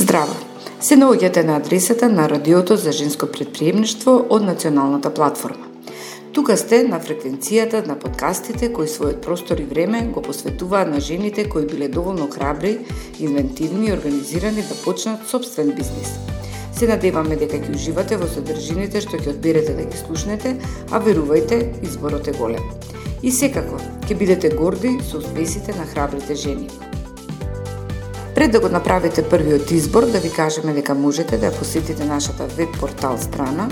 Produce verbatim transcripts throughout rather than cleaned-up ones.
Здраво! Се наоѓате на адресата на Радиото за женско претприемништво од Националната платформа. Тука сте на фреквенцијата на подкастите кои својот простор и време го посветуваат на жените кои биле доволно храбри, инвентивни и организирани да почнат собствен бизнис. Се надеваме дека ќе уживате во содржините што ќе одберете да ги слушнете, а верувајте, изборот е голем. И секако, ќе бидете горди со успесите на храбрите жени. Пред да го направите првиот избор, да ви кажеме дека можете да посетите нашата веб портал страна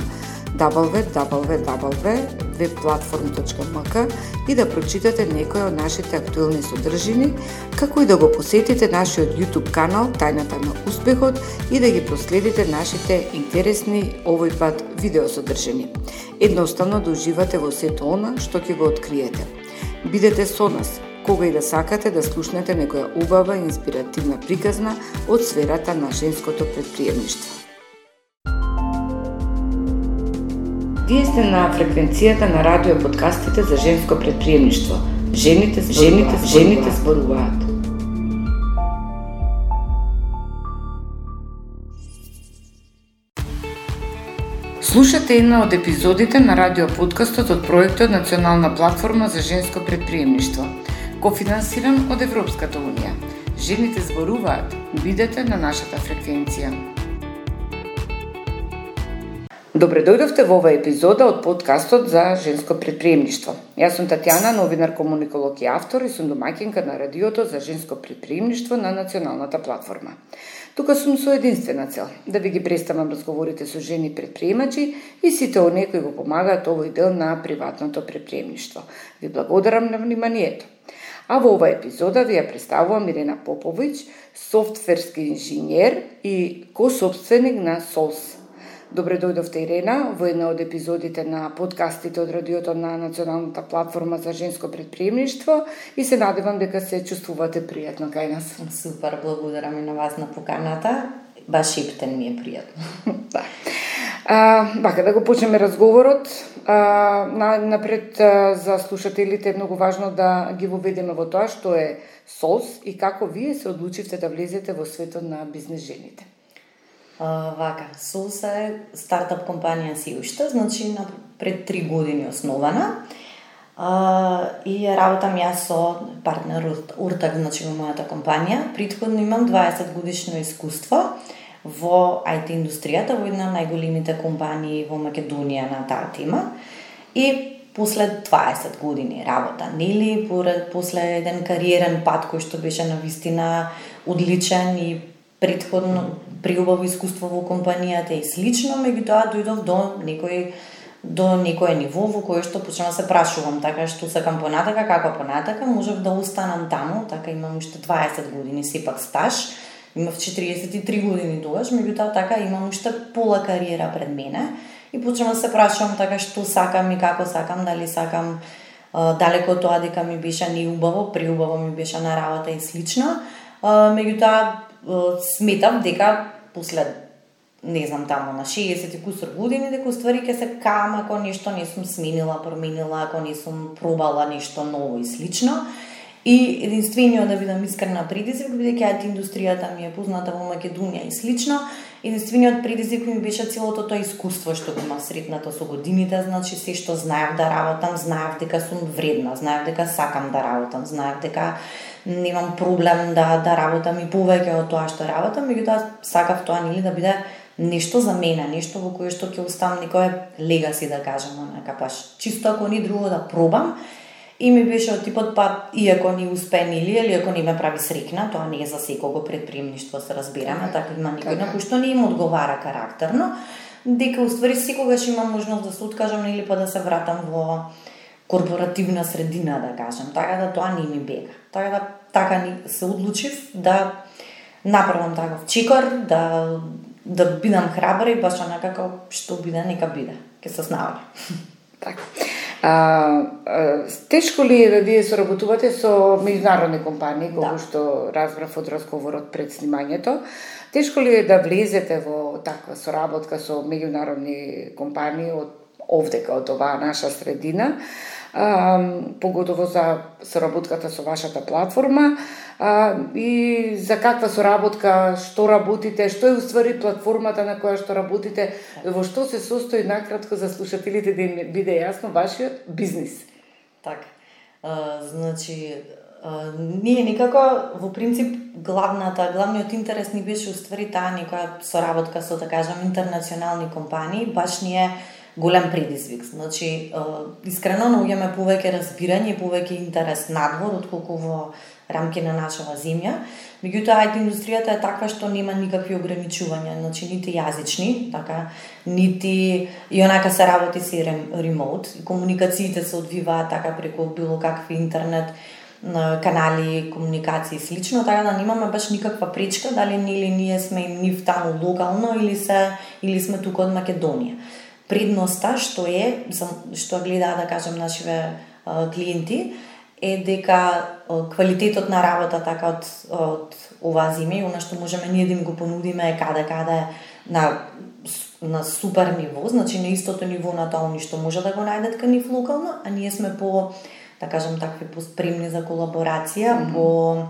дабл ю дабл ю дабл ю точка веб платформ точка ем ка и да прочитате некои од нашите актуелни содржини, како и да го посетите нашиот YouTube канал Тајната на успехот и да ги проследите нашите интересни овој пат видеосодржини. Едноставно да уживате во сето она што ќе го откриете. Бидете со нас кога и да сакате да слушнете некоја убава и инспиративна приказна од сферата на женското претприемништво. Вие сте на фреквенцијата на радио подкастите за женско претприемништво. Жените, жените, жените зборуваат. Слушате една од епизодите на радио подкастот од проектот Национална платформа за женско претприемништво, кофинансиран од Европската унија. Жените зборуваат. Бидете на нашата фреквенција. Добре дојдовте во оваа епизода од подкастот за женско претприемништво. Јас сум Татјана, новинар, комуниколог и автор и сум домаќинка на радиото за женско претприемништво на Националната платформа. Тука сум со единствена цел, да ви ги представам разговорите со жени претприемачи и сите оние кои го помагаат овој дел на приватното претприемништво. Ви благодарам на вниманието. А во оваа епизода ви ја представувам Ирена Поповиќ, софтверски инженер и кособственик на Солс. Добре дојдовте, Ирена, во една од епизодите на подкастите од радиото на Националната платформа за женско претприемништво и се надевам дека се чувствувате пријатно кај нас. Супер, благодарам и на вас на поканата. Баш ептен ми е пријатно. Да. А, бака да го почнеме разговорот. А, на, напред а, за слушателите е многу важно да ги воведеме во тоа што е Солс и како вие се одлучивте да влезете во светот на бизнес жените. Uh, вака, Солс е стартап компанија си уште, значи на пред три години основана. Uh, и работам јас со партнер Уртак, значи во мојата компанија. Претходно имам дваесет годишно искуство во ай ти индустријата, во една од најголемите компании во Македонија на таа тема. И после дваесет години работа, нели, после еден кариерен пат кој што беше навистина одличен и претходно приубаво искуство во компанијата и слично, меѓутоа дојдов до некој до некое ниво во кое што почнав да се прашувам, така што сакам понатака, како понатака, можев да останам таму, така имам уште дваесет години сепак стаж, имав четириесет и три години тогаш, меѓутоа така имам уште пола кариера пред мене и почнав да се прашувам така што сакам и како сакам, дали сакам далеко од тоа дека ми беше неубаво, преубаво ми беше на работа и слично, меѓутоа сметав дека после, не знам, тамо на шеесет и кусур години, дека ствари ќе се кам ако нешто не сум сменила, променила, ако не сум пробала нешто ново и слично. И единствениот, да бидам искрена, предизвик, бидејќи ай ти индустријата ми е позната во Македонија и слично, единствениот предизвик ми беше целото тоа искуство што го имав сретнато со годините, значи се што знаев да работам, знаев дека сум вредна, знаев дека сакам да работам, знаев дека немам проблем да да работам и повеќе од тоа што работам, меѓутоа сакав тоа нели да биде нешто за мене, нешто во кое што ќе оставам некој легаси, да кажам, онака баш чисто ако ни друго да пробам. И ми беше од типот, па иако не успе нели, или ако не ме прави срекна, тоа не е за секого претприемништво, се разбираме, така има некој на кој што не им одговара карактерно, дека уствари секогаш имам можност да се откажам или па да се вратам во корпоративна средина, да кажам, така да тоа не ми бега. Така да така ни се одлучив да направам таков чекор, да да бидам храбра и баш онака како што биде, нека биде. Ке се снаоѓа. Така. А, а, тешко ли е да вие соработувате со меѓународни компании, како да. Што разбрав од разговорот пред снимањето? Тешко ли е да влезете во таква соработка со меѓународни компании од овдека, од оваа наша средина? а, поготово за соработката со вашата платформа, а, и за каква соработка, што работите, што е уствари платформата на која што работите, во што се состои накратко за слушателите да им биде јасно вашиот бизнис. Така. А, значи, а, ние никако, во принцип, главната, главниот интерес ни беше уствари таа некоја соработка со, да кажам, интернационални компании, баш ни е голем предизвик. Значи, а, искрено наоѓаме повеќе разбирање и повеќе интерес надвор, отколку во рамки на нашава земја. Меѓутоа, ай ти индустријата е таква што нема никакви ограничувања, значи нити јазични, така, нити и онака се работи си ремоут, и комуникациите се одвиваат така преку било какви интернет канали, комуникации и слично, така да немаме баш никаква пречка дали ни или ние сме нив таму локално или се или сме тука од Македонија. Предноста што е, што гледаат, да кажем, нашиве клиенти, е дека квалитетот на работа така од, од оваа земја и она што можеме ние да им го понудиме е каде каде на на супер ниво, значи на истото ниво на тоа они што може да го најдат кај нив локално, а ние сме по, да кажем, такви поспремни за колаборација, mm-hmm. по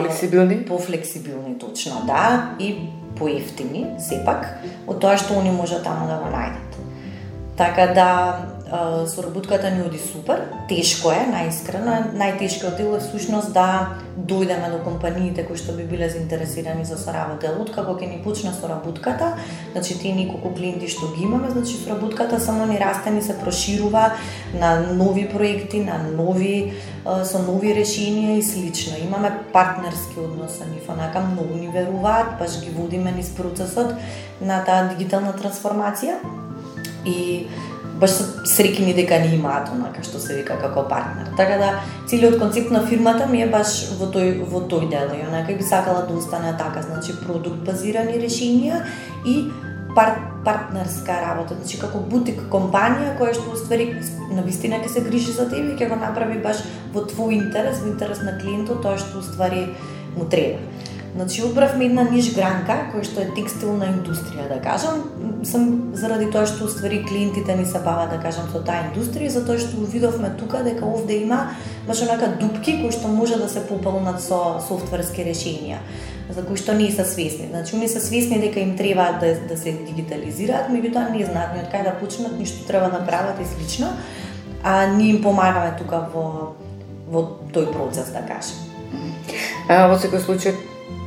флексибилни, по флексибилни точно, да, и поевтини сепак од тоа што они може таму да го најдат. Така да соработката ни оди супер, тешко е, најискрено, најтешкиот дел е всушност да дојдеме до компаниите кои што би биле заинтересирани за соработа. Откако ќе ни почне соработката, значи тие неколку клиенти што ги имаме, значи соработката само ни расте, ни се проширува на нови проекти, на нови со нови решенија и слично. Имаме партнерски однос со нив, онака многу ни веруваат, баш ги водиме низ процесот на таа дигитална трансформација и баш се среќни дека ни имаат онака што се вика како партнер. Така да целиот концепт на фирмата ми е баш во тој во тој дел и онака би сакала да остане така, значи продукт базирани решенија и пар, партнерска работа, значи како бутик компанија која што уствари навистина ќе се грижи за тебе и ќе го направи баш во твој интерес, во интерес на клиентот тоа што уствари му треба. Значи, одбравме една ниш гранка, која што е текстилна индустрија, да кажам, сам заради тоа што уствари клиентите ни се бават, да кажам, со таа индустрија, затоа што увидовме тука дека овде има баш онака дупки кои што може да се пополнат со софтверски решенија, за кои што не се свесни. Значи, они се свесни дека им треба да, да се дигитализираат, меѓутоа не знаат ни од кај да почнат, ни што треба да прават и слично, а ние им помагаме тука во во тој процес, да кажем. А, во секој случај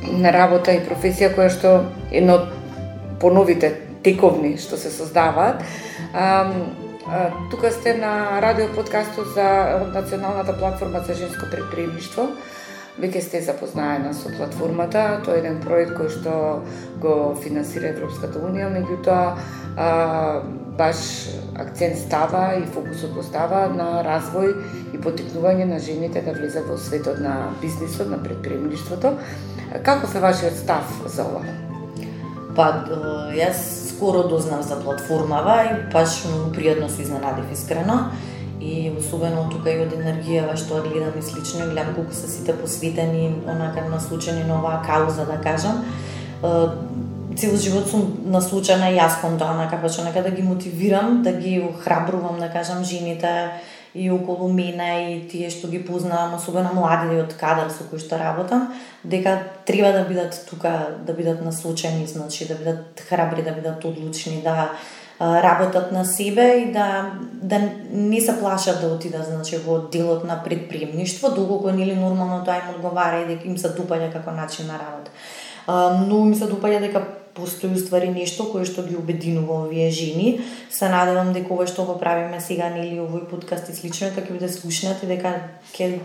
на работа и професија која што едно од поновите тековни што се создаваат. А, а, тука сте на радио подкастот за Националната платформа за женско предприемништво. Веќе сте запознаена со платформата, тоа е еден проект кој што го финансира Европската унија, меѓутоа баш акцент става и фокусот го става на развој и поттикнување на жените да влезат во светот на бизнисот, на предприемништвото. Каков е вашиот став за ова? Па, јас скоро дознав за платформава и баш многу пријатно се изненадив искрено. И особено тука и од енергијава што гледам и слично, и гледам колку се сите посветени, онака насочени на оваа кауза, да кажам. Цел живот сум насочена и јас кон тоа, онака баш онака да ги мотивирам, да ги охрабрувам, да кажам, жените и околу мене и тие што ги познавам, особено младите од кадар со кои што работам, дека треба да бидат тука, да бидат насочени, значи да бидат храбри, да бидат одлучни, да работат на себе и да да не се плашат да отидат, значи, во делот на предприемништво, доколку нели нормално тоа им одговара и дека им се допаѓа како начин на работа. Но ми се допаѓа дека постои уствари нешто кое што ги обединува овие жени. Се надевам дека ова што го правиме сега, нели, овој подкаст и слично, дека ќе биде слушнат и дека ќе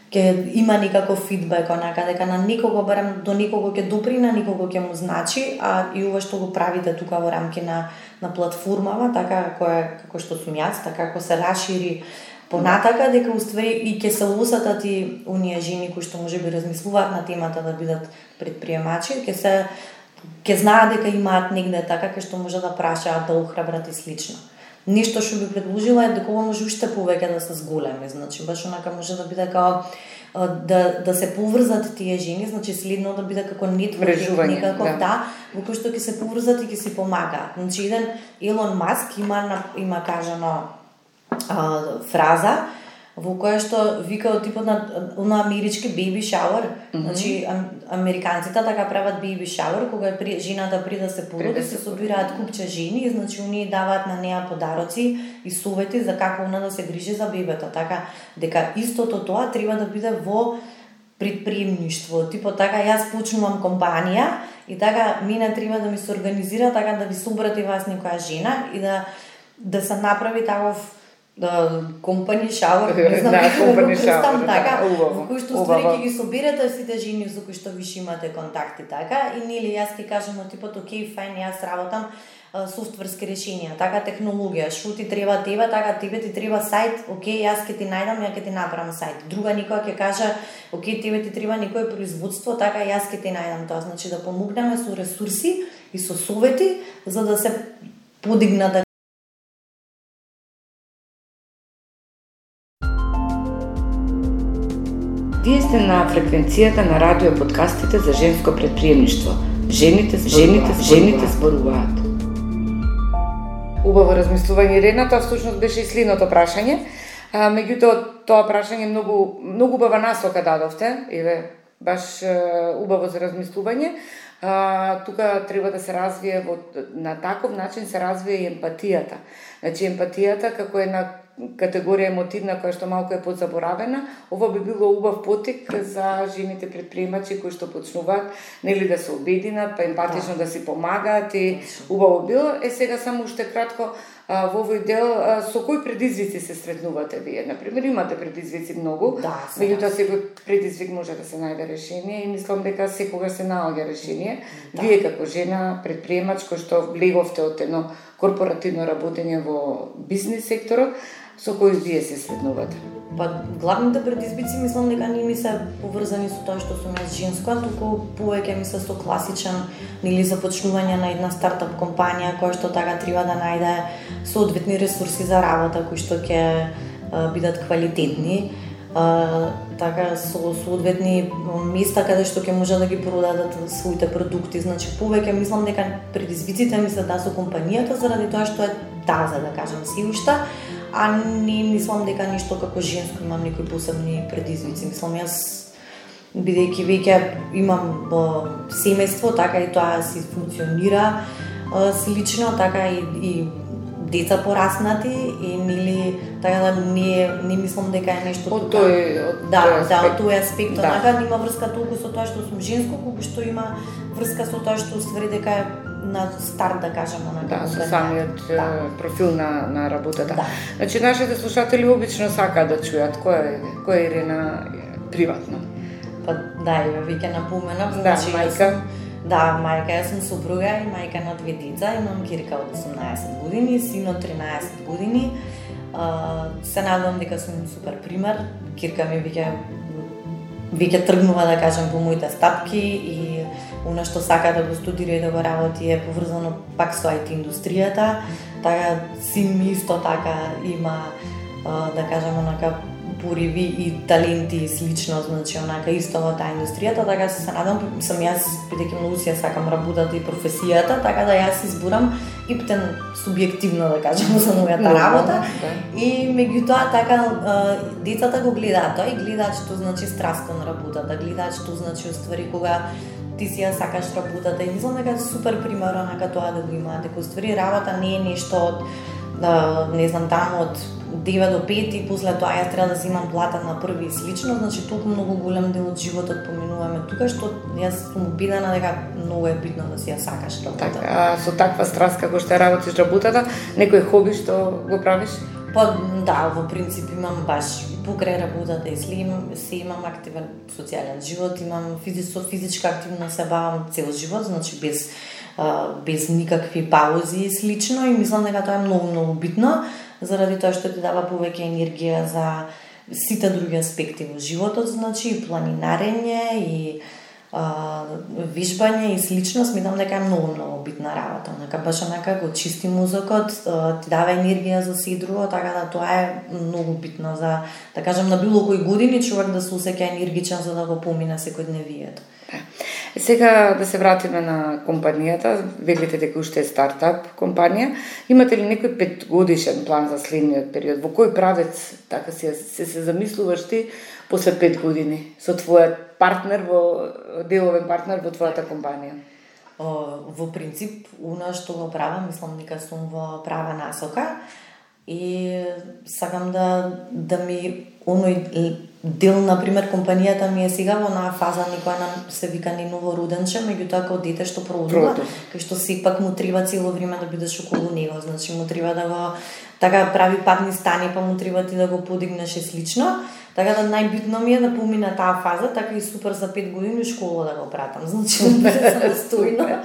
ќе има некаков фидбек, онака дека на некого, барем до некого ќе допри, на некого ќе му значи, а и ова што го правите тука во рамки на на платформава, така која како што сум јас, така како се расшири понатака, дека уствари и ќе се усетат и оние жени кои што можеби размислуваат на темата да бидат предприемачи, ќе се ќе знаат дека имаат негде така кај што може да прашаат, да охрабрат и слично. Нешто што би предложила е дека ова може уште повеќе да се зголеми, значи баш онака може да биде како да да се поврзат тие жени, значи следно да биде како нетворкинг некако, да, да, во кој што ќе се поврзат и ќе си помагаат. Значи еден Елон Маск има има кажано а, фраза во која што вика од типот на, на амерички baby shower. Mm -hmm. Значи, ам, американците така прават baby shower, кога при, жената при да се породи, се собираат купче жени и значи оние даваат на неа подароци и совети за како она да се грижи за бебето. Така, дека истото тоа треба да биде во предприемништво. Типо така, јас почнувам компанија и така, мене треба да ми се организира така да ви собрати вас некоја жена и да, да се направи таков да компани шауер, не знам како да го представам така, во кој што ствари ќе ги соберете сите жени со кои што више имате контакти така и нели јас ќе кажам од типот окей, фајн, јас работам софтверски решенија, така технологија, што ти треба тебе, така тебе ти треба сајт, окей, јас ќе ти најдам, ја ќе ти направам сајт. Друга никоја ќе каже, окей, тебе ти треба некое производство, така јас ќе ти најдам тоа, значи да помогнеме со ресурси и со совети за да се подигнат. Вие сте на фреквенцијата на радио подкастите за женско предприемништво. Жените, жените, жените зборуваат. Убаво размислување, Ирена, тоа всушност беше и следното прашање. А, меѓутоа, тоа прашање многу многу убава насока дадовте, еве, баш убаво за размислување. А, тука треба да се развие во, на таков начин се развие и емпатијата. Значи емпатијата како една категорија емотивна која што малку е подзаборавена, ова би било убав потик за жените предприемачи кои што почнуваат нели да се обединат, па емпатично да, да си помагаат и убаво било. Е сега само уште кратко а, во овој дел а, со кои предизвици се сретнувате вие? Например, имате предизвици многу, да, меѓутоа секој предизвик може да се најде решение и мислам дека секогаш се наоѓа решение. Да. Вие како жена предприемач кој што влеговте од едно корпоративно работење во бизнис секторот, со кои вие се сретнувате? Па главните предизвици мислам дека не ми се поврзани со тоа што сум јас женска, туку повеќе ми се со класичен или започнување на една стартап компанија која што така треба да најде соодветни ресурси за работа кои што ќе бидат квалитетни. Uh, така со соодветни места каде што ќе може да ги продадат своите продукти. Значи повеќе мислам дека предизвиците ми се да со компанијата заради тоа што е таза, да кажам, си уште, а не мислам дека ништо како женско имам некои посебни предизвици. Мислам јас бидејќи веќе имам uh, семејство, така и тоа си функционира uh, слично, така и, и деца пораснати и нели така да не не мислам дека е нешто од тој од да, тој да, од тој аспект, да. Така нема врска толку со тоа што сум женско, колку што има врска со тоа што ствари дека е на старт, да кажеме, на да, со самиот да. профил на на работата. Да. Значи нашите слушатели обично сакаат да чујат која е која е Ирена приватно. Па да, ја веќе напоменав, да, значи мајка. Да, мајка, јас сум супруга и мајка на две деца, имам кирка од осумнаесет години, син од тринаесет години. Uh, се надевам дека сум супер пример. Кирка ми веќе веќе тргнува, да кажем, по моите стапки и она што сака да го студира и да го работи е поврзано пак со ай ти индустријата. Така син ми исто така има, uh, да кажем, онака пориви и таленти и слично, значи онака исто во таа индустријата, така се надам, сам јас бидејќи многу си ја сакам работата и професијата, така да јас изборам и птен субјективно, да кажам, за мојата работа. Да. И меѓутоа така децата го гледаат тоа и гледаат што значи страст кон работата, гледаат што значи уствари кога ти си ја сакаш работата и мислам дека е супер пример онака тоа да го имаат, дека уствари работа не е нешто од да, не знам, таму од девет до пет и после тоа јас треба да земам плата на први и слично, значи толку многу голем дел од животот поминуваме тука, што јас сум убедена дека многу е битно да си ја сакаш работата. Така, со таква страст како што работиш работата, некој хоби што го правиш? Па да, во принцип имам баш покрај работата и слим, се имам активен социјален живот, имам физичко физичка активност, се бавам цел живот, значи без без никакви паузи и слично и мислам дека тоа е многу многу битно заради тоа што ти дава повеќе енергија за сите други аспекти во животот, значи и планинарење и а, вежбање и слично, сметам дека е многу многу битна работа. Онака баш онака го чисти мозокот, ти дава енергија за се друго, така да тоа е многу битно за, да кажам, на било кои години човек да се осеќа енергичен за да го помине секојдневието. Сега да се вратиме на компанијата, велите дека уште е стартап компанија. Имате ли некој петгодишен план за следниот период? Во кој правец така се се, се замислуваш ти после пет години со твојот партнер во деловен партнер во твојата компанија? Во принцип, она што го правам, мислам дека сум во права насока и сакам да да ми оној дел, например, компанијата ми е сега во онаа фаза никоја нам се вика ни новороденче, меѓутоа како дете што продува, кај што сепак му треба цело време да бидеш околу него, значи му треба да го така прави падни стани, па му треба ти да го подигнеш и слично. Така да најбитно ми е да помине таа фаза, така и супер за пет години школа да го пратам. Значи да биде самостојно,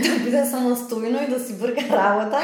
да биде самостојно и да си брка работа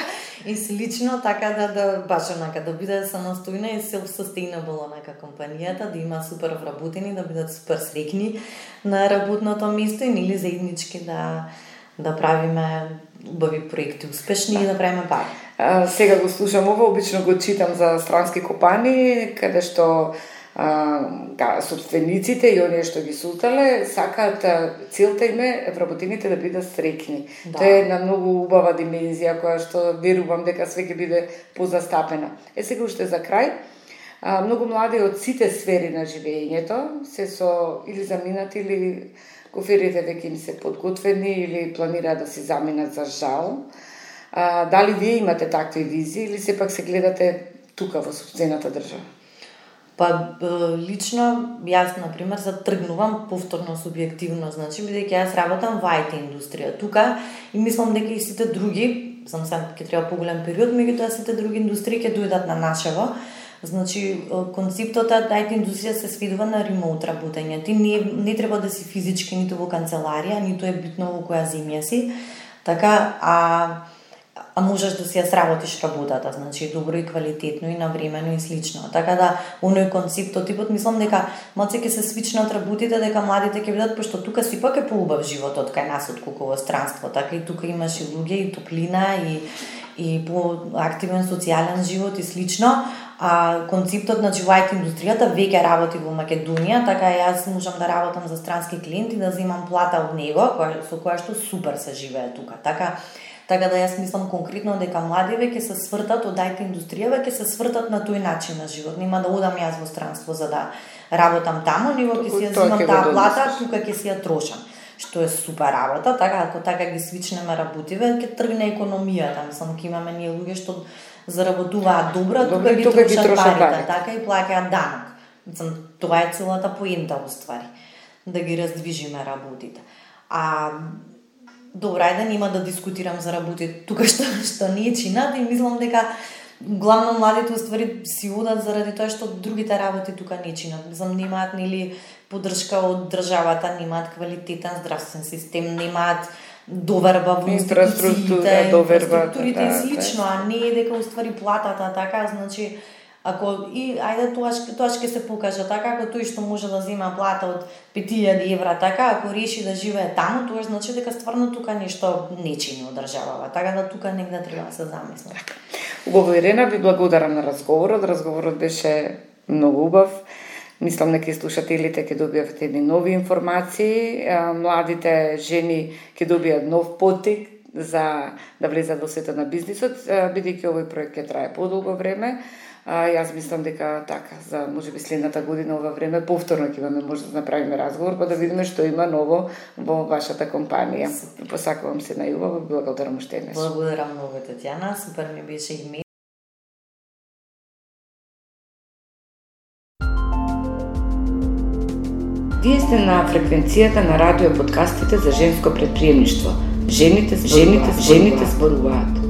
и слично, така да да баш онака да биде самостојна и self-sustainable онака компанијата, да има супер вработени, да бидат супер среќни на работното место и нели заеднички да да правиме убави проекти, успешни и да правиме пари. А, сега го слушам ова, обично го читам за странски компании, каде што а, собствениците и оние што ги сутале сакаат целта им е вработените да бидат среќни. Да. Тоа е една многу убава димензија која што верувам дека све ќе биде позастапена. Е сега уште за крај, а, многу млади од сите сфери на живењето се со или заминати или коферите веќе им се подготвени или планираат да си заминат за жал. А, дали вие имате такви визии или сепак се гледате тука во сопствената држава? Па лично јас на пример затргнувам повторно субјективно, значи бидејќи јас работам во ай ти индустрија тука и мислам дека и сите други, знам се ќе треба поголем период, меѓутоа сите други индустрии ќе дојдат на нашево. Значи концептот од ай ти индустрија се сведува на ремоут работење. Ти не не треба да си физички ниту во канцеларија, ниту е битно во која земја си. Така а а можеш да си ја сработиш работата, значи добро и квалитетно и навремено и слично. Така да оној концептот типот мислам дека малце ќе се свичнат работите, дека младите ќе бидат, пошто тука сепак е поубав животот кај нас отколку во странство, така и тука имаш и луѓе и топлина и и по активен социјален живот и слично. А концептот на во ай ти индустријата веќе работи во Македонија, така јас можам да работам за странски клиент и да земам плата од него, која со која што супер се живее тука. Така Така да јас мислам конкретно дека младиве ќе се свртат од ай ти индустријава, ќе се свртат на тој начин на живот. Нема да одам јас во странство за да работам таму, него ќе си ја земам таа плата, тука ќе си ја трошам. Што е супер работа, така ако така ги свичнеме работиве, ќе тргне економијата. Мислам ќе имаме ние луѓе што заработуваат добро, тука ги трошат парите, така и плаќаат данок. Мислам тоа е целата поента уствари, да ги раздвижиме работите. А добра, ајде нема да дискутирам за работите тука што што не чинат и мислам дека главно младите уствари си одат заради тоа што другите работи тука не чинат. Мислам немаат нели поддршка од државата, немаат квалитетен здравствен систем, немаат доверба во инфраструктура, доверба инфраструктурите да, и слично, да. А не е дека уствари платата така, значи ако и ајде тоа тоа ќе се покаже така, ако тој што може да зема плата од пет илјади евра така, ако реши да живее таму, тоа значи дека стварно тука нешто не чини од државава. Така да тука негде треба да се замисли. Убаво, Ирена, ви благодарам на разговорот. Разговорот беше многу убав. Мислам дека слушателите ќе добијат едни нови информации, младите жени ќе добијат нов поттик за да влезат во светот на бизнисот, бидејќи овој проект ќе трае подолго време. А, јас мислам дека така, за можеби следната година ова време повторно ќе имаме може да направиме разговор, па да видиме што има ново во вашата компанија. Посакувам се најубаво, благодарам уште еднаш. Благодарам многу, Татјана, супер ми беше и ми. Вие сте на фреквенцијата на радио подкастите за женско предприемништво. Жените, жените, жените зборуваат.